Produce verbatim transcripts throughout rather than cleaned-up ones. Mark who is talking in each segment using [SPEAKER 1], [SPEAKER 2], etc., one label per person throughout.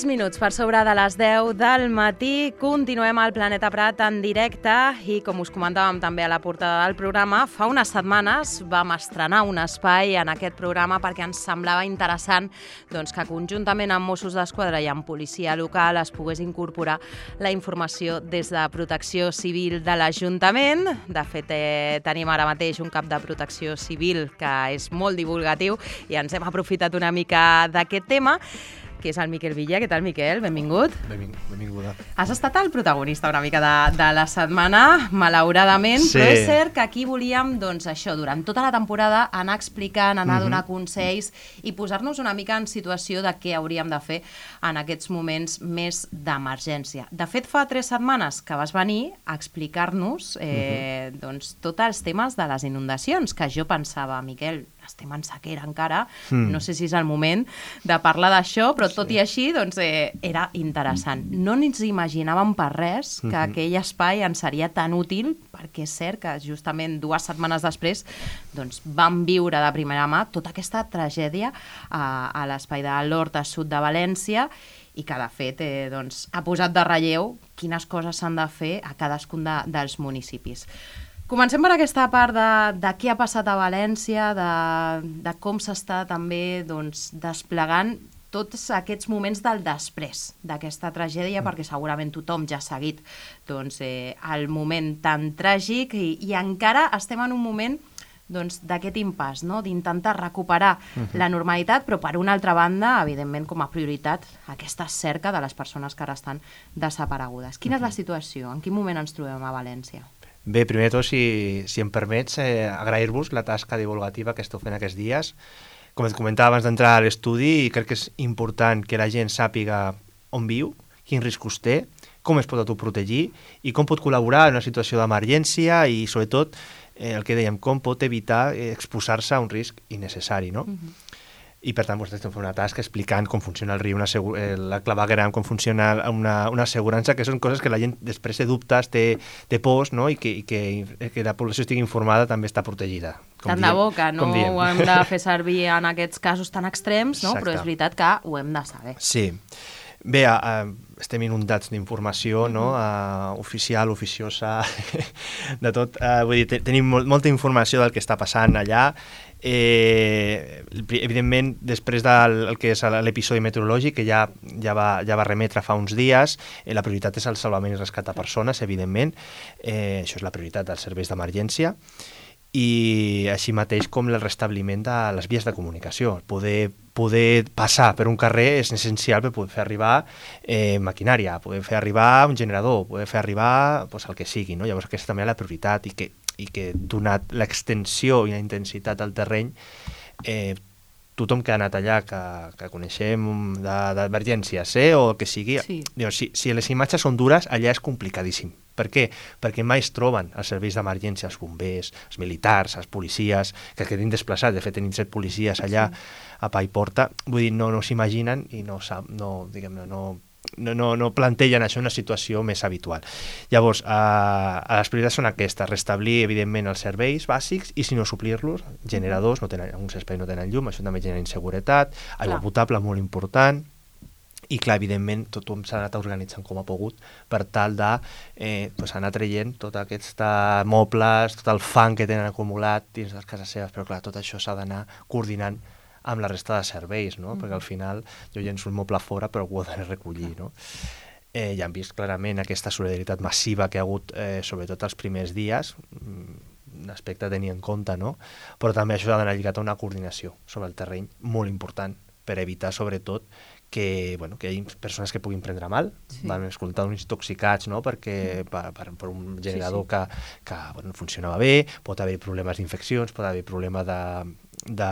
[SPEAKER 1] sis minuts per sobre de les deu del matí. Continuem al Planeta Prat en directe i, com us comentàvem també a la portada del programa, fa unes setmanes vam estrenar un espai en aquest programa perquè ens semblava interessant doncs, que conjuntament amb Mossos d'Esquadra i amb policia local es pogués incorporar la informació des de Protecció Civil de l'Ajuntament. De fet, eh, tenim ara mateix un cap de Protecció Civil que és molt divulgatiu i ens hem aprofitat una mica d'aquest tema, que és el Miquel Villa. Què tal, Miquel? Benvingut.
[SPEAKER 2] Benving, benvinguda.
[SPEAKER 1] Has estat el protagonista una mica de, de la setmana, malauradament, sí. Però és cert que aquí volíem, doncs això, durant tota la temporada, anar explicant, anar a donar mm-hmm. consells i posar-nos una mica en situació de què hauríem de fer en aquests moments més d'emergència. De fet, fa tres setmanes que vas venir a explicar-nos eh, mm-hmm. doncs, tots els temes de les inundacions, que jo pensava, Miquel, estem en sequera encara, mm. no sé si és el moment de parlar d'això, però tot sí. i així doncs, eh, era interessant. No ens imaginàvem per res que mm-hmm. aquell espai ens seria tan útil, perquè és cert que justament dues setmanes després doncs, vam viure de primera mà tota aquesta tragèdia a, a l'espai de l'Horta Sud de València i que, de fet, eh, doncs, ha posat de relleu quines coses s'han de fer a cadascun de, dels municipis. Comencem per aquesta part de, de què ha passat a València, de, de com s'està també doncs, desplegant tots aquests moments del després d'aquesta tragèdia, mm. perquè segurament tothom ja ha seguit doncs, eh, el moment tan tràgic i, i encara estem en un moment doncs, d'aquest impàs, no? D'intentar recuperar mm-hmm. la normalitat, però per una altra banda, evidentment, com a prioritat, aquesta cerca de les persones que ara estan desaparegudes. Quina mm-hmm. és la situació? En quin moment ens trobem a València?
[SPEAKER 2] Bé, primer de tot, si, si em permets, eh, agrair-vos la tasca divulgativa que esteu fent aquests dies. Com et comentava abans d'entrar a l'estudi, crec que és important que la gent sàpiga on viu, quins riscos té, com es pot autoprotegir i com pot col·laborar en una situació d'emergència i, sobretot, eh, el que dèiem, com pot evitar eh, exposar-se a un risc innecessari, no? Mm-hmm. I, per tant, vostès estem fent una tasca explicant com funciona el riu, una asegu- eh, la claveguera, com funciona una, una assegurança, que són coses que la gent després té dubtes, té, té pors, no? I, que, i que, que la població estigui informada també està protegida. Com
[SPEAKER 1] tant
[SPEAKER 2] diem,
[SPEAKER 1] de boca, no ho hem de fer servir en aquests casos tan extrems, no? Però és veritat que ho hem de saber.
[SPEAKER 2] Sí. Bé, uh, estem inundats d'informació, no? Uh, oficial, oficiosa, de tot. Uh, vull dir, te- tenim molt, molta informació del que està passant allà. Eh, evidentment, després del el que és l'episodi meteorològic, que ja, ja, va, ja va remetre fa uns dies, eh, la prioritat és el salvament i rescat de persones, evidentment. Eh, això és la prioritat dels serveis d'emergència. I així mateix com el restabliment de les vies de comunicació. Poder, poder passar per un carrer és essencial per poder fer arribar eh, maquinària, poder fer arribar un generador, poder fer arribar pues, el que sigui, no? Llavors aquesta també és la prioritat i que, i que donat l'extensió i la intensitat del terreny, eh, tothom que ha anat allà, que, que coneixem d'emergències eh, o el que sigui, sí. Diu, si, si les imatges són dures, allà és complicadíssim. Per què? Perquè mai es troben els serveis d'emergència, els bombers, els militars, els policies, que quedin desplaçats. De fet, tenim set policies allà sí. a pa i porta. Vull dir, no, no s'imaginen i no, no, diguem, no, no, no, no plantegen això una situació més habitual. Llavors, eh, les prioritats són aquestes, restablir, evidentment, els serveis bàsics i, si no, suplir-los, generadors, no tenen, alguns espais no tenen llum, això també genera inseguretat, aigua Clar. potable, molt important. I, clar, evidentment, tothom s'ha anat organitzant com ha pogut per tal de eh, pues, anar traient tots aquests mobles, tot el fang que tenen acumulat dins de les cases seves, però, clar, tot això s'ha d'anar coordinant amb la resta de serveis, no? Mm. Perquè al final jo llenço un moble fora, però ho he de recollir, no? Eh, ja hem vist clarament aquesta solidaritat massiva que ha hagut, eh, sobretot els primers dies, un aspecte a tenir en compte, no? Però també això ha d'anar lligat a una coordinació sobre el terreny molt important per evitar, sobretot, que, bueno, que hi ha persones que puguin prendre mal, sí. van escoltar uns intoxicats, no? Perquè per, per, per un generador sí, sí. que, que bueno, funcionava bé, pot haver problemes d'infeccions, pot haver problemes de, de,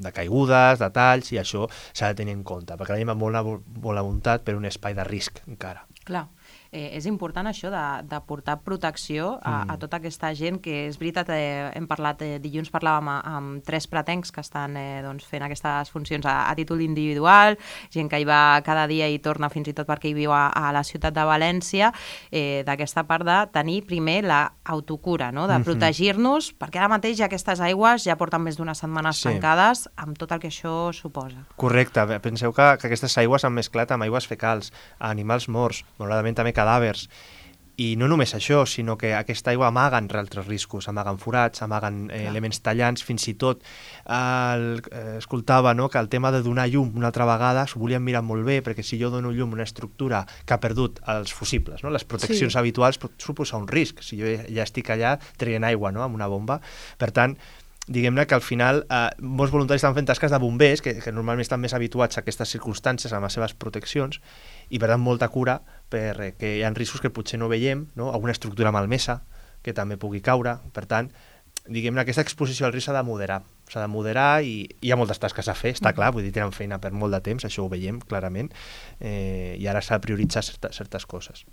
[SPEAKER 2] de caigudes, de talls, i això s'ha de tenir en compte, perquè la gent va molt a, molt a voluntat per un espai de risc encara.
[SPEAKER 1] Clar. eh, és important això de, de portar protecció a, mm. a tota aquesta gent que és veritat, eh, hem parlat, eh, dilluns parlàvem amb tres pretencs que estan eh, doncs, fent aquestes funcions a, a títol individual, gent que hi va cada dia i torna fins i tot perquè hi viu a, a la ciutat de València, eh, d'aquesta part de tenir primer l'autocura, no? De protegir-nos, perquè ara mateix aquestes aigües ja porten més d'unes setmanes sí. tancades amb tot el que això suposa.
[SPEAKER 2] Correcte, penseu que, que aquestes aigües han mesclat amb aigües fecals, animals morts, malauradament també cadàvers, i no només això, sinó que aquesta aigua amaguen altres riscos, amaguen forats, amaguen eh, elements tallants, fins i tot eh, el, eh, escoltava no, que el tema de donar llum una altra vegada s'ho volien mirar molt bé, perquè si jo dono llum a una estructura que ha perdut els fusibles, no, les proteccions sí. habituals, pot suposar un risc. Si jo ja estic allà traient aigua no, amb una bomba, per tant, diguem-ne que al final eh, molts voluntaris estan fent tasques de bombers, que, que normalment estan més habituats a aquestes circumstàncies, amb les seves proteccions, i per tant molta cura perquè hi ha riscos que potser no veiem, no? Alguna estructura malmesa que també pugui caure. Per tant, diguem-ne, aquesta exposició al risc s'ha de moderar, s'ha de moderar i hi ha moltes tasques a fer, està clar, vull dir, tenen feina per molt de temps, això ho veiem clarament, eh, i ara s'ha de prioritzar certa, certes coses.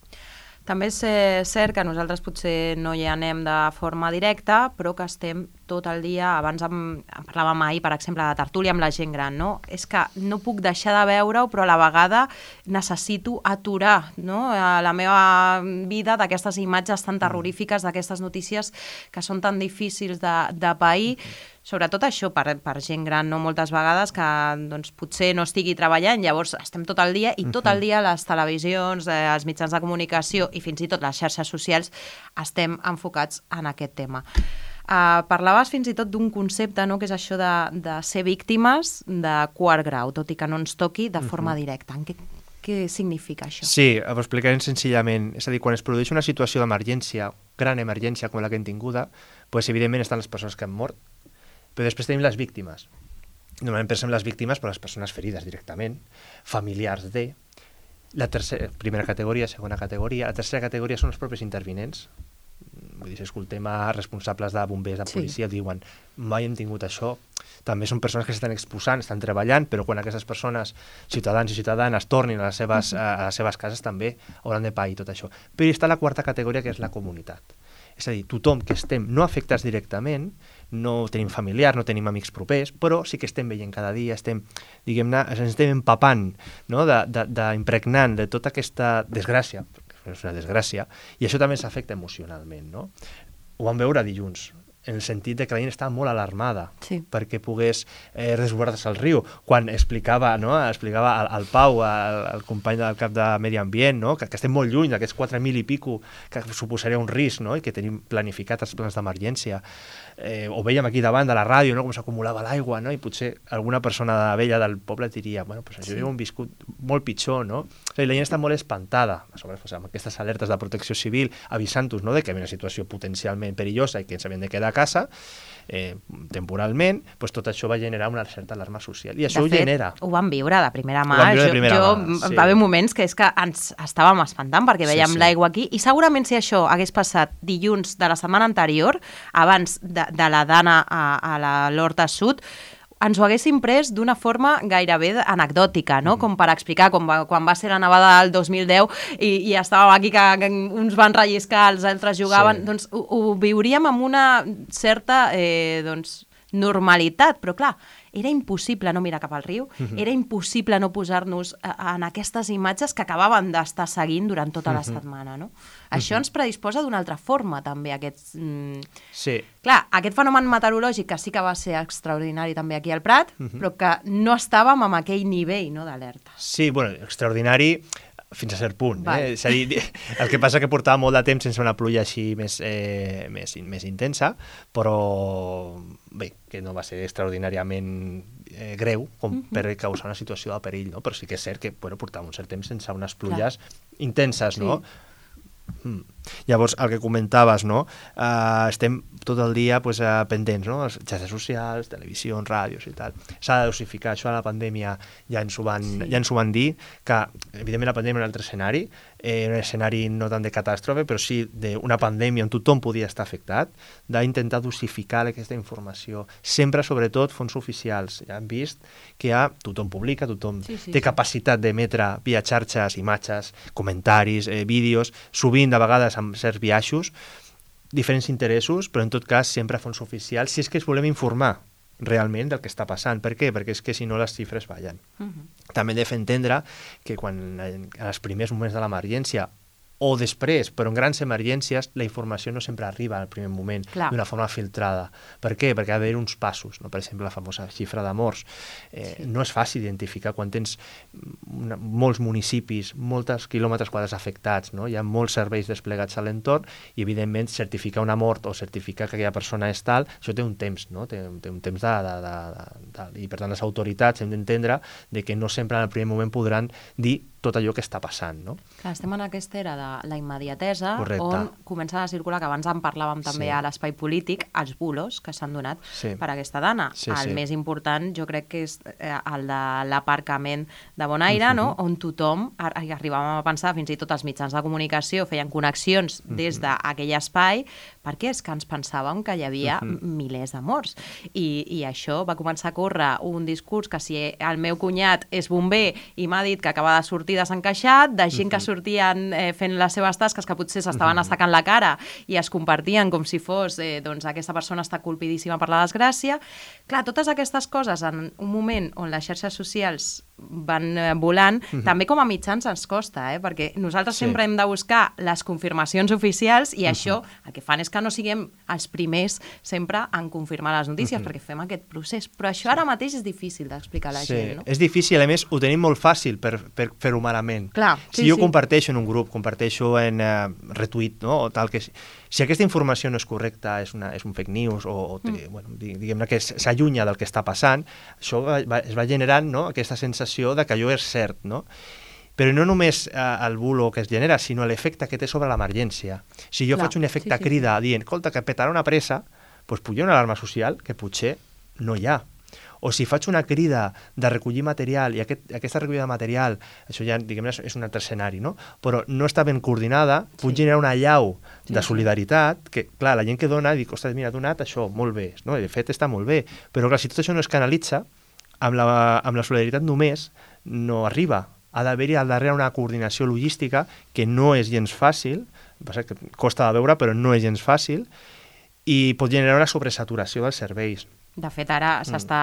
[SPEAKER 1] També és eh, cert que nosaltres potser no hi anem de forma directa, però que estem tot el dia, abans em, em parlàvem ahir, per exemple, de tertúlia amb la gent gran, no? És que no puc deixar de veure-ho, però a la vegada necessito aturar, no? La meva vida d'aquestes imatges tan terrorífiques, d'aquestes notícies que són tan difícils de, de pair, sobretot això per, per gent gran, no moltes vegades, que doncs, potser no estigui treballant, llavors estem tot el dia, i tot el dia les televisions, eh, els mitjans de comunicació i fins i tot les xarxes socials estem enfocats en aquest tema. Uh, parlaves fins i tot d'un concepte, no?, que és això de, de ser víctimes de quart grau, tot i que no ens toqui de forma uh-huh. directa. En què, què significa això?
[SPEAKER 2] Sí, ho explicarem senzillament. És a dir, quan es produeix una situació d'emergència, gran emergència com la que hem tinguda, pues, evidentment estan les persones que han mort, però després tenim les víctimes. Normalment pensem les víctimes per les persones ferides directament, familiars de... La tercera, primera categoria, segona categoria. La tercera categoria són els propis intervinents. Vull dir, si escoltem a responsables de bombers, de policia, sí. diuen, mai hem tingut això. També són persones que s'estan exposant, estan treballant, però quan aquestes persones, ciutadans i ciutadanes, tornin a les seves, a les seves cases, també hauran de pair tot això. Però hi està la quarta categoria, que és la comunitat. És a dir, tothom que estem no afectats directament, no tenim familiars, no tenim amics propers, però sí que estem veient cada dia, estem, diguem-ne, ens estem empapant, no?, d'impregnant de, de, de tota aquesta desgràcia, és una desgràcia, i això també s'afecta emocionalment, no? Ho vam veure dilluns, en el sentit de que la gent estava molt alarmada sí. perquè pogués eh, resguardar-se al riu. Quan explicava, no? explicava al, al Pau, al, al company del cap de Medi Ambient, no? que, que estem molt lluny d'aquests quatre mil i pico que suposaria un risc, no? i que tenim planificat els plans d'emergència. Eh, ho veiem aquí davant de la ràdio, no? com s'acumulava l'aigua, no? i potser alguna persona vella del poble diria, bueno, pues això sí. ho hem viscut molt pitjor, no? O sigui, la gent està molt espantada, a sobre, pues, amb aquestes alertes de protecció civil, avisant-nos, no?, de que hi havia una situació potencialment perillosa i que ens havien de quedar a casa, eh, temporalment, pues tot això va generar una certa alarma social. I això
[SPEAKER 1] de
[SPEAKER 2] ho
[SPEAKER 1] fet,
[SPEAKER 2] genera.
[SPEAKER 1] Ho vam viure de primera mà.
[SPEAKER 2] Ho vam viure de primera
[SPEAKER 1] jo,
[SPEAKER 2] mà,
[SPEAKER 1] jo
[SPEAKER 2] sí.
[SPEAKER 1] va haver moments que és que ens estàvem espantant perquè veiem sí, sí. l'aigua aquí, i segurament si això hagués passat dilluns de la setmana anterior, abans de, de la Dana a, a la l'Horta Sud, ens ho haguéssim pres d'una forma gairebé anecdòtica, no? Mm. Com per explicar com va, quan va ser la nevada del dos mil deu i, i estàvem aquí que, que uns van relliscar, els altres jugaven, sí. doncs ho, ho viuríem amb una certa eh, doncs, normalitat, però clar, era impossible no mirar cap al riu, mm-hmm. era impossible no posar-nos en aquestes imatges que acabaven d'estar seguint durant tota la mm-hmm. setmana, no? Mm-hmm. Això ens predisposa d'una altra forma, també, aquests... Mm...
[SPEAKER 2] Sí.
[SPEAKER 1] Clar, aquest fenomen meteorològic que sí que va ser extraordinari també aquí al Prat, mm-hmm. però que no estàvem amb aquell nivell, no, d'alerta.
[SPEAKER 2] Sí, bueno, extraordinari fins a cert punt. Eh? És a dir, el que passa que portava molt de temps sense una pluja així més, eh, més, més intensa, però bé, que no va ser extraordinàriament eh, greu com uh-huh. per causar una situació de perill, no? Però sí que és cert que bueno, portava un cert temps sense unes pluges Clar. intenses, no? Sí. Mm. Llavors, el que comentaves, no? Uh, estem tot el dia pues, uh, pendents, no? Les xarxes socials, televisió, ràdios i tal. S'ha de dosificar, això a la pandèmia ja ens ho van, sí. ja ens ho van dir, que evidentment la pandèmia era un altre escenari, eh, un escenari no tant de catàstrofe, però sí d'una pandèmia on tothom podia estar afectat, d'intentar dosificar aquesta informació. Sempre, sobretot, fons oficials. Ja hem vist que ja tothom publica, tothom sí, sí, té sí. capacitat d'emetre via xarxes, imatges, comentaris, eh, vídeos, sovint, de vegades, amb certs biaixos, diferents interessos, però en tot cas sempre a fons oficials, si és que es volem informar realment del que està passant. Per què? Perquè és que si no les xifres ballen. Uh-huh. També hem de fer entendre que quan en els primers moments de l'emergència o després, però en grans emergències, la informació no sempre arriba al primer moment d'una forma filtrada. Per què? Perquè ha d'haver uns passos, no? Per exemple, la famosa xifra de morts. Eh, sí. No és fàcil identificar quan tens una, molts municipis, molts quilòmetres quadrats afectats, no? Hi ha molts serveis desplegats a l'entorn i, evidentment, certificar una mort o certificar que aquella persona és tal, això té un temps, no? Té, té un temps de, de, de, de, de... I, per tant, les autoritats hem d'entendre de que no sempre en el primer moment podran dir tot allò que està passant, no?
[SPEAKER 1] Clar, estem en aquesta era de la immediatesa,
[SPEAKER 2] correcte,
[SPEAKER 1] on comença a circular, que abans en parlàvem també sí. a l'espai polític, els bulos que s'han donat sí. per aquesta dona. Sí, el sí. més important, jo crec que és el de l'aparcament de Bonaire, uh-huh. no? On tothom, arribàvem a pensar, fins i tot els mitjans de comunicació feien connexions uh-huh. des d'aquell espai, perquè és que ens pensàvem que hi havia uh-huh. milers de morts. I, I això va començar a córrer un discurs que si el meu cunyat és bomber i m'ha dit que acaba de sortir desencaixat, de gent uh-huh. que sortien eh, fent les seves tasques que potser s'estaven uh-huh. assecant la cara i es compartien com si fos eh, doncs aquesta persona està colpidíssima per la desgràcia. Clar, totes aquestes coses en un moment on les xarxes socials van eh, volant, uh-huh. també com a mitjans ens costa, eh? Perquè nosaltres sí. sempre hem de buscar les confirmacions oficials i uh-huh. això el que fan és que no siguem els primers sempre en confirmar les notícies, uh-huh. perquè fem aquest procés. Però això ara mateix és difícil d'explicar a la
[SPEAKER 2] sí.
[SPEAKER 1] gent, no?
[SPEAKER 2] És difícil, a més ho tenim molt fàcil per, per fer-ho malament.
[SPEAKER 1] Clar,
[SPEAKER 2] si
[SPEAKER 1] sí,
[SPEAKER 2] jo
[SPEAKER 1] sí.
[SPEAKER 2] comparteixo en un grup, comparteixo en uh, retweet, no? O tal que... Si aquesta informació no és correcta, és, una, és un fake news, o, o té, mm. bueno, diguem-ne que s'allunya del que està passant, això va, va, es va generant, no? Aquesta sensació de que allò és cert, no? Però no només eh, el bulo que es genera, sinó l'efecte que té sobre l'emergència. Si jo Clar, faig un efecte sí, sí. crida dient, escolta, que petarà una pressa, doncs puja una alarma social que potser no hi ha. O si faig una crida de recollir material i aquest, aquesta recollida de material, això ja diguem-ne és un altre escenari, no? Però no està ben coordinada, pot sí. generar una allau sí, de solidaritat que, clar, la gent que dona dic, ostres, mira, ha donat això, molt bé, no? De fet està molt bé, però clar, si tot això no es canalitza, amb la, amb la solidaritat només no arriba. Ha d'haver-hi al darrere una coordinació logística que no és gens fàcil, passa que costa de veure, però no és gens fàcil, i pot generar una sobresaturació dels serveis.
[SPEAKER 1] De fet, ara mm. s'està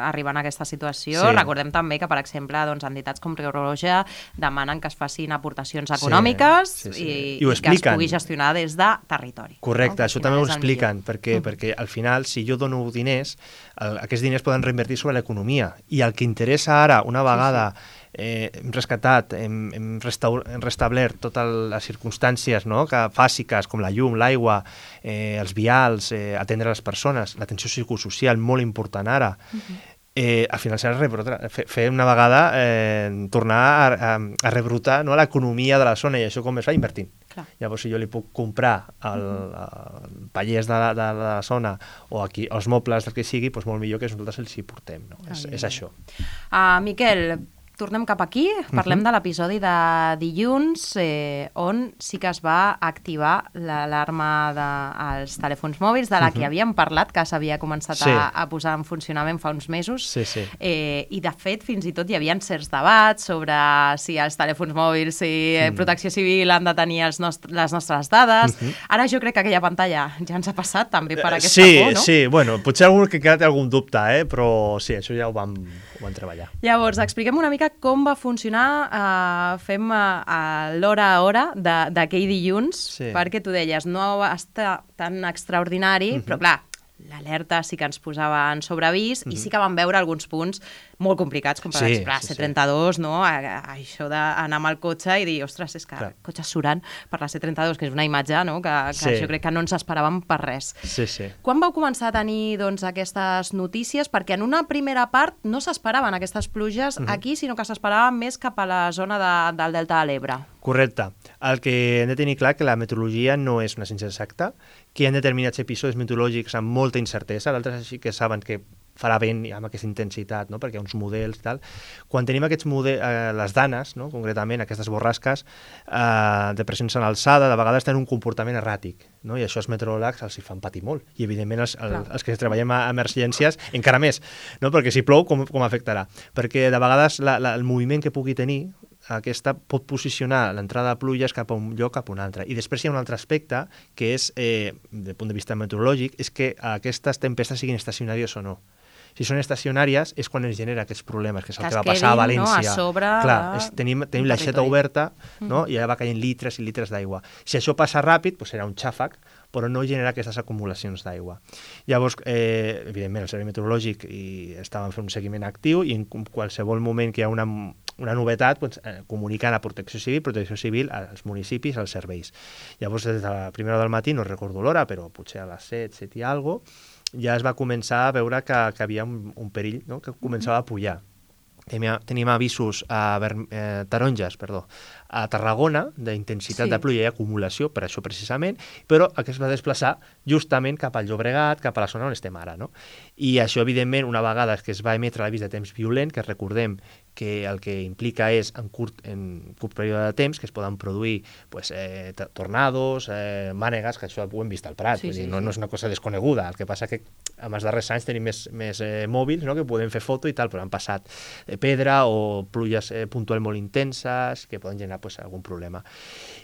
[SPEAKER 1] arribant a aquesta situació. Sí. Recordem també que, per exemple, doncs, entitats com Creu Roja demanen que es facin aportacions econòmiques sí, sí, sí. I, i, i que es pugui gestionar des de territori.
[SPEAKER 2] Correcte, no? Això també ho expliquen, perquè, mm. perquè al final, si jo dono diners, el, aquests diners poden reinvertir sobre l'economia. I el que interessa ara, una vegada sí, sí. Eh, hem rescatat, hem, hem, hem restablert totes les circumstàncies, no? Que bàsiques, com la llum, l'aigua, eh, els vials, eh, atendre les persones, l'atenció psicosocial, molt important ara. Uh-huh. eh, al final serà fer, fer una vegada eh, tornar a, a, a rebrotar, no? L'economia de la zona, i això com es fa? Invertint. Clar. Llavors, si jo li puc comprar el, el pallers de la, de la zona o aquí els mobles, del que sigui, doncs molt millor que nosaltres els hi portem. No? Ah, és, és això.
[SPEAKER 1] Uh, Miquel, tornem cap aquí, parlem uh-huh. de l'episodi de dilluns, eh, on sí que es va activar l'alarma dels telèfons mòbils, de la uh-huh. que havíem parlat, que s'havia començat sí. a, a posar en funcionament fa uns mesos.
[SPEAKER 2] Sí, sí.
[SPEAKER 1] Eh, I, de fet, fins i tot hi havia certs debats sobre si els telèfons mòbils i eh, Protecció Civil han de tenir els nost les nostres dades. Uh-huh. Ara jo crec que aquella pantalla ja ens ha passat també per aquesta
[SPEAKER 2] sí,
[SPEAKER 1] por, no?
[SPEAKER 2] Sí, bueno, potser algú que encara té algun dubte, eh? Però sí, això ja ho vam, ho vam treballar.
[SPEAKER 1] Llavors, expliquem una mica com va funcionar, eh, fem uh, l'hora a hora d'aquell dilluns, sí. perquè tu deies, no està tan extraordinari, uh-huh. però clar, l'alerta sí que ens posava en sobreavís uh-huh. i sí que vam veure alguns punts molt complicats, com per sí, exemple sí, C trenta-dos, sí. no? A, a, això d'anar amb el cotxe i dir, ostres, és que Clar. cotxes surant per la C trenta-dos, que és una imatge, no? que, que sí. jo crec que no ens esperàvem per res.
[SPEAKER 2] Sí, sí.
[SPEAKER 1] Quan vau començar a tenir doncs, aquestes notícies? Perquè en una primera part no s'esperaven aquestes pluges uh-huh. aquí, sinó que s'esperaven més cap a la zona de, del Delta de l'Ebre.
[SPEAKER 2] Correcte. El que hem de tenir clar que la meteorologia no és una ciència exacta, que hi ha determinats episodis meteorològics amb molta incertesa, d'altres així que saben que farà vent amb aquesta intensitat, no? Perquè hi ha uns models i tal. Quan tenim aquests models, eh, les danes, no? Concretament, aquestes borrasques eh, de pressions en alçada, de vegades tenen un comportament erràtic, no? I això els meteoròlegs els hi fan patir molt. I, evidentment, els, el, els que treballem a emergències, encara més, no? Perquè si plou, com, com afectarà? Perquè de vegades la, la, el moviment que pugui tenir aquesta pot posicionar l'entrada de pluges cap a un lloc cap a un altre. I després hi ha un altre aspecte que és, eh, des del punt de vista meteorològic, és que aquestes tempestes siguin estacionàries o no. Si són estacionàries és quan ens genera aquests problemes, que és el que, que va passar a València.
[SPEAKER 1] No? A sobre
[SPEAKER 2] Clar, és, tenim, tenim l'aixeta oberta, no? I allà va caient litres i litres d'aigua. Si això passa ràpid, doncs serà un xàfec, però no genera aquestes acumulacions d'aigua. Llavors, eh, evidentment, el Servei Meteorològic i estàvem fent un seguiment actiu i en qualsevol moment que hi ha una, una novetat, doncs, eh, comuniquen a Protecció Civil, Protecció Civil als municipis, als serveis. Llavors, des de la primera hora del matí, no recordo l'hora, però potser a les set, set i alguna cosa, ja es va començar a veure que, que havia un, un perill, no? Que començava a pujar. Tenim, tenim avisos a eh, taronges, perdó, a Tarragona, d'intensitat sí. de pluja i acumulació, per això precisament, però que es va desplaçar justament cap al Llobregat, cap a la zona on estem ara, no? I això, evidentment, una vegada que es va emetre l'avís de temps violent, que recordem que el que implica és en curt, en curt període de temps que es poden produir pues, eh, tornados, eh, mànegues, que això ho hem vist al Prat, sí, sí, dir, no, no és una cosa desconeguda, el que passa que en els darrers anys tenim més, més eh, mòbils, no? Que podem fer foto i tal, però han passat eh, pedra o pluges eh, puntuals molt intenses que poden generar pues, algun problema.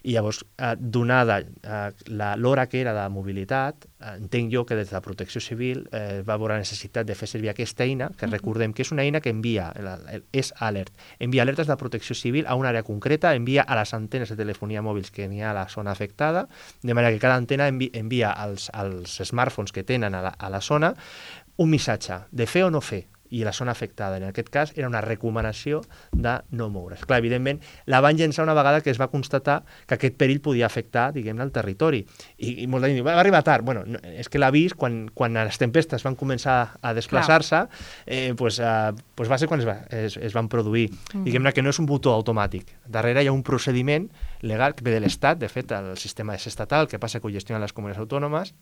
[SPEAKER 2] I llavors, eh, donada eh, l'hora que era de mobilitat, eh, entenc jo que des de la Protecció Civil eh, va haver la necessitat de fer servir aquesta eina, que recordem que és una eina que envia, el, el, és alert, envia alertes de Protecció Civil a una àrea concreta, envia a les antenes de telefonia mòbils que n'hi ha a la zona afectada, de manera que cada antena envi, envia als, als smartphones que tenen a la, a la zona un missatge de fer o no fer, i la zona afectada. En aquest cas era una recomanació de no moure's. Clar, evidentment, la van llençar una vegada que es va constatar que aquest perill podia afectar, diguem-ne, el territori. I, i molta gent diu, va arribar tard. Bueno, no, és que l'avís, quan, quan les tempestes van començar a desplaçar-se, eh, pues, eh, pues va ser quan es, va, es, es van produir. Mm. Diguem-ne que no és un botó automàtic. Darrere hi ha un procediment legal que ve de l'Estat, de fet, el sistema és estatal, que passa que ho gestionen les comunitats autònomes,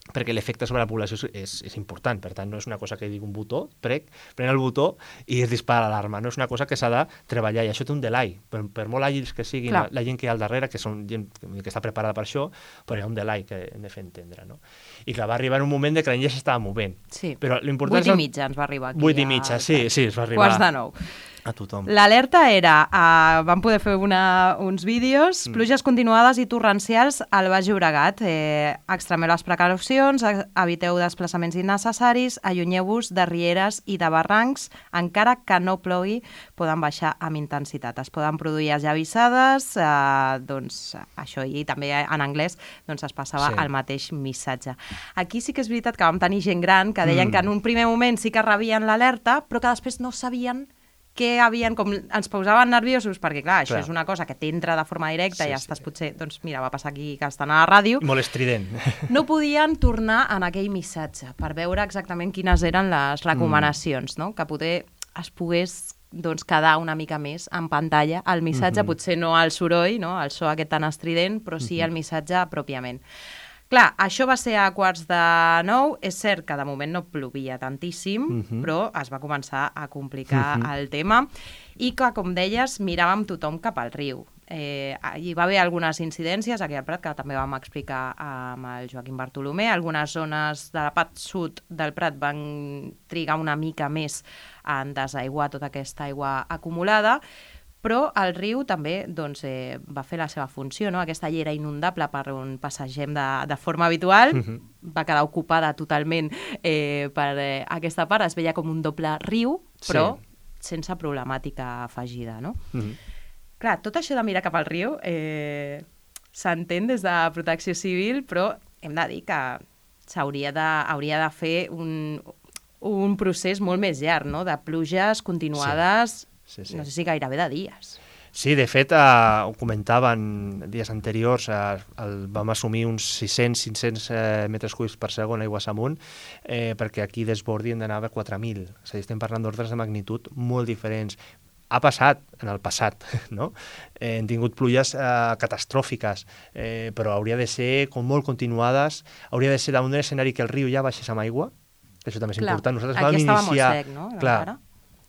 [SPEAKER 2] perquè l'efecte sobre la població és, és important, per tant no és una cosa que digui un botó, prec, pren el botó i es dispara l'alarma, no és una cosa que s'ha de treballar i això té un delay, per, per molt àgils que siguin la, la gent que hi ha al darrere, que són gent que està preparada per això, però hi ha un delay que hem de fer entendre, no? I clar, va arribar en un moment de que la gent ja s'estava movent.
[SPEAKER 1] Sí,
[SPEAKER 2] però l'important
[SPEAKER 1] vuit i mitja ens va arribar aquí.
[SPEAKER 2] Vuit i mitja, sí, sí, es va arribar.
[SPEAKER 1] Quarts de nou.
[SPEAKER 2] A tothom.
[SPEAKER 1] L'alerta era, uh, vam poder fer una, uns vídeos, mm. pluges continuades i torrencials al Baix Llobregat. Eh, extremeu les precaucions, eviteu desplaçaments innecessaris, allunyeu-vos de rieres i de barrancs, encara que no plogui, poden baixar amb intensitat. Es poden produir esllavissades, eh, doncs això, i també en anglès doncs, es passava sí. el mateix missatge. Aquí sí que és veritat que vam tenir gent gran que deien mm. que en un primer moment sí que rebien l'alerta, però que després no sabien que havien, com ens posaven nerviosos, perquè clar, això clar. és una cosa que t'entra de forma directa sí, i ja estàs sí. potser, doncs mira, va passar aquí que estan a la ràdio.
[SPEAKER 2] Molt estrident.
[SPEAKER 1] No podien tornar en aquell missatge per veure exactament quines eren les recomanacions, mm. no? Que poder es pogués doncs, quedar una mica més en pantalla el missatge, mm-hmm. potser no el soroll, no? El so aquest tan estrident, però sí mm-hmm. el missatge pròpiament. Clar, això va ser a quarts de nou, és cert que de moment no plovia tantíssim, uh-huh. però es va començar a complicar uh-huh. el tema i que, com deies, miràvem tothom cap al riu. Eh, hi va haver algunes incidències aquí al Prat, que també vam explicar amb el Joaquim Bartolomé. Algunes zones de la part sud del Prat van trigar una mica més en desaiguar tota aquesta aigua acumulada, però el riu també doncs, eh, va fer la seva funció, no? Aquesta llera inundable per on passegem de, de forma habitual, uh-huh. va quedar ocupada totalment eh, per eh, aquesta part, es veia com un doble riu, però sí. sense problemàtica afegida, no? Uh-huh. Clar, tot això de mirar cap al riu eh, s'entén des de Protecció Civil, però hem de dir que s'hauria de, hauria de fer un, un procés molt més llarg, no? De pluges continuades... Sí. Sí, sí. No sé si gairebé de dies.
[SPEAKER 2] Sí, de fet, eh, ho comentaven dies anteriors, eh, el, vam assumir uns sis-cents cinc cents eh, metres cúbics per segon aigües amunt, eh, perquè aquí desbordi hem d'anar a quatre mil. És a dir, estem parlant d'ordres de magnitud molt diferents. Ha passat en el passat, no? Eh, hem tingut pluges eh, catastròfiques, eh, però hauria de ser com molt continuades, hauria de ser damunt d'un escenari que el riu ja baixés amb aigua, que això també és
[SPEAKER 1] Clar.
[SPEAKER 2] important. Nosaltres
[SPEAKER 1] Aquí
[SPEAKER 2] vam
[SPEAKER 1] estava
[SPEAKER 2] iniciar...
[SPEAKER 1] molt sec, no?
[SPEAKER 2] Clar,
[SPEAKER 1] Encara.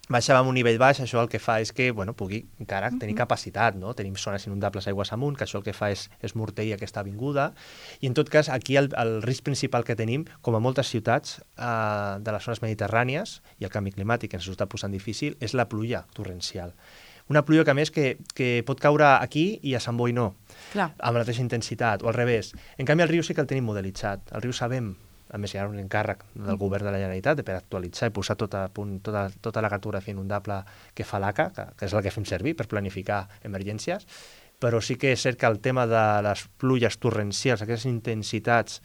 [SPEAKER 2] baixàvem un nivell baix, això el que fa és que bueno, pugui encara tenir capacitat, no? Tenim zones inundables aigües amunt, que això el que fa és, és morteir aquesta avinguda, i en tot cas aquí el, el risc principal que tenim, com a moltes ciutats eh, de les zones mediterrànies, i el canvi climàtic ens ho està posant difícil, és la pluja torrencial. Una pluja que a més que, que pot caure aquí i a Sant Boi no,
[SPEAKER 1] Clar.
[SPEAKER 2] amb la mateixa intensitat, o al revés. En canvi, el riu sí que el tenim modelitzat. El riu sabem, a més hi ha un encàrrec del govern de la Generalitat per actualitzar i posar tot a punt, tota, tota la cartografia inundable que fa l'A C A, que, que és la que fem servir per planificar emergències, però sí que és cert que el tema de les pluges torrencials, aquestes intensitats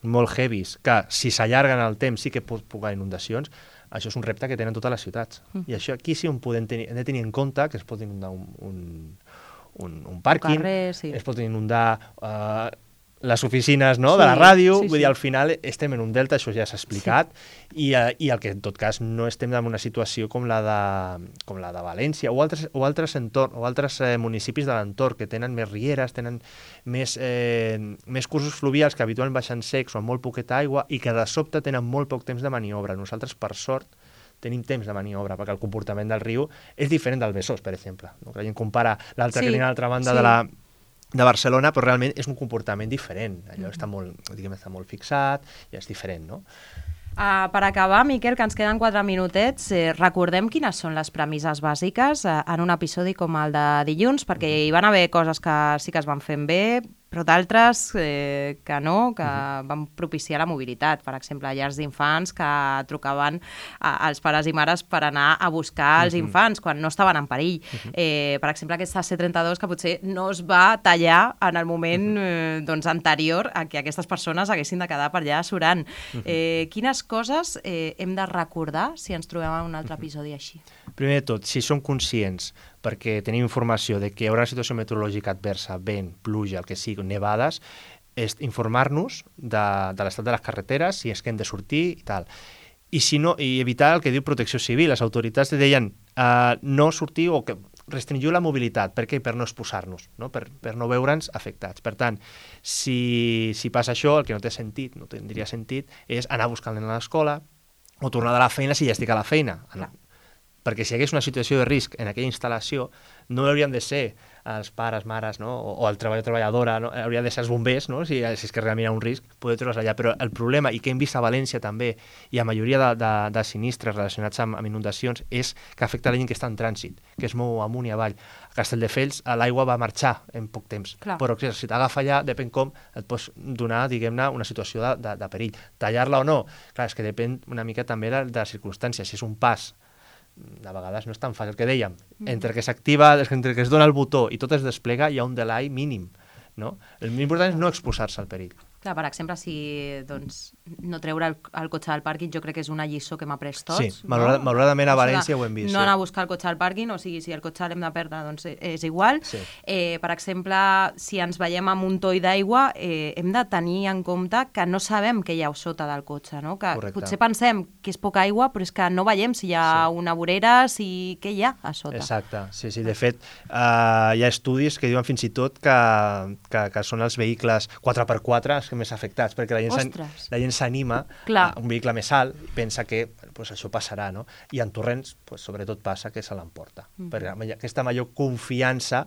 [SPEAKER 2] molt heavies, que si s'allarguen el temps sí que pot provocar inundacions, això és un repte que tenen totes les ciutats. Mm. I això aquí sí on podem tenir, hem de tenir en compte que es pot inundar un, un, un, un pàrquing,
[SPEAKER 1] un carrer, sí.
[SPEAKER 2] es pot inundar uh, les oficines, no?,
[SPEAKER 1] sí,
[SPEAKER 2] de la ràdio,
[SPEAKER 1] sí,
[SPEAKER 2] vull
[SPEAKER 1] sí.
[SPEAKER 2] dir, al final estem en un delta, això ja s'ha explicat, sí. i, uh, i el que en tot cas no estem en una situació com la de, com la de València o altres, o altres, entorn, o altres eh, municipis de l'entorn que tenen més rieres, tenen més, eh, més cursos fluvials que habitualment baixen secs o amb molt poqueta aigua i que de sobte tenen molt poc temps de maniobra. Nosaltres, per sort, tenim temps de maniobra, perquè el comportament del riu és diferent del Besòs, per exemple. No? Que la gent compara l'altra sí, que tenia a l'altra banda sí. de la de Barcelona, però realment és un comportament diferent. Allò està molt, diguem, està molt fixat i és diferent, no?
[SPEAKER 1] Uh, per acabar, Miquel, que ens queden quatre minutets, eh, recordem quines són les premisses bàsiques eh, en un episodi com el de dilluns, perquè hi van haver coses que sí que es van fent bé, però d'altres eh, que no, que uh-huh. van propiciar la mobilitat. Per exemple, llars d'infants que trucaven a, als pares i mares per anar a buscar els uh-huh. infants quan no estaven en perill. Uh-huh. Eh, per exemple, aquesta C trenta-dos que potser no es va tallar en el moment uh-huh. eh, doncs, anterior a que aquestes persones haguessin de quedar per allà surant. Uh-huh. Eh, quines coses eh, hem de recordar si ens trobem en un altre episodi així?
[SPEAKER 2] Primer de tot, si som conscients, perquè tenim informació de que hi haurà una situació meteorològica adversa, vent, pluja, el que sigui, nevades, és informar-nos de, de l'estat de les carreteres, si és que hem de sortir i tal. I, si no, i evitar el que diu Protecció Civil. Les autoritats deien uh, no sortir o que restringiu la mobilitat. Per què? Per no exposar-nos, no? Per, per no veure'ns afectats. Per tant, si, si passa això, el que no té sentit, no tindria sentit, és anar buscant a l'escola o tornar de la feina si ja estic a la feina. Clar. Perquè si hi hagués una situació de risc en aquella instal·lació, no haurien de ser els pares, mares, no? o, o el treballador treballadora, no? Haurien de ser els bombers, no? si, si és que realment hi ha un risc, poder treure's allà. Però el problema, i que hem vist a València també, i a majoria de, de, de sinistres relacionats amb, amb inundacions, és que afecta la gent que està en trànsit, que es mou amunt i avall. A Castelldefels l'aigua va marxar en poc temps, Clar. Però si t'agafa allà, depèn com, et pots donar, diguem-ne, una situació de, de, de perill. Tallar-la o no? Clar, és que depèn una mica també de, de les circumstàncies. Si és un pas, de vegades no és tan fàcil, el que dèiem, entre que s'activa, entre que es dona el botó i tot es desplega, hi ha un delay mínim, no? El més important és no exposar-se al perill.
[SPEAKER 1] Clar, per exemple, si doncs, no treure el, el cotxe del pàrquing, jo crec que és una lliçó que hem après tots.
[SPEAKER 2] Sí, malauradament, no? malauradament a València ho hem vist.
[SPEAKER 1] No
[SPEAKER 2] sí.
[SPEAKER 1] anar a buscar el cotxe al pàrquing, o sigui, si el cotxe l'hem de perdre, doncs és igual.
[SPEAKER 2] Sí.
[SPEAKER 1] Eh, per exemple, si ens veiem amb un toll d'aigua, eh, hem de tenir en compte que no sabem què hi ha sota del cotxe, no? Que
[SPEAKER 2] Correcte.
[SPEAKER 1] Potser pensem que és poca aigua, però és que no veiem si hi ha sí. una vorera, si què hi ha a sota.
[SPEAKER 2] Exacte, sí, sí. De fet, uh, hi ha estudis que diuen fins i tot que, que, que són els vehicles quatre per quatre els que més afectats, perquè la gent, la gent s'anima a un vehicle més alt i pensa que pues, això passarà, no? I en torrents, pues, sobretot passa que se l'emporta. Mm. Perquè aquesta major confiança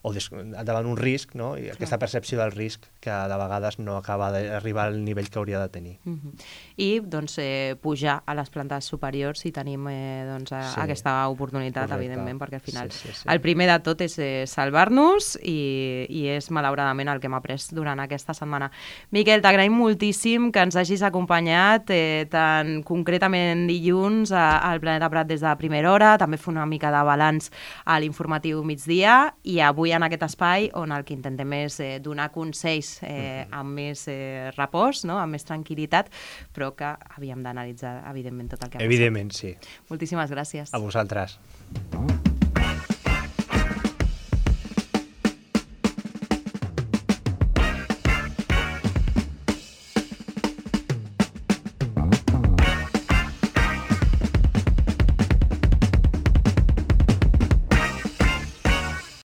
[SPEAKER 2] o des, davant un risc, no? I aquesta percepció del risc que de vegades no acaba d'arribar al nivell que hauria de tenir.
[SPEAKER 1] Mm-hmm. I doncs, eh, pujar a les plantes superiors si tenim eh, doncs, a, sí. aquesta oportunitat, Correcte. Evidentment, perquè al final sí, sí, sí. el primer de tot és eh, salvar-nos i, i és malauradament el que hem après durant aquesta setmana. Miquel, t'agraïm moltíssim que ens hagis acompanyat eh, tan concretament dilluns a, al Planeta Prat des de primera hora, també fer una mica de balanç a l'informatiu migdia i avui en aquest espai on el que intentem és eh, donar consells eh, amb més eh, repòs, no? Amb més tranquil·litat, però que havíem d'analitzar, evidentment, tot el que ha passat.
[SPEAKER 2] Evidentment, sí.
[SPEAKER 1] Moltíssimes gràcies.
[SPEAKER 2] A vosaltres.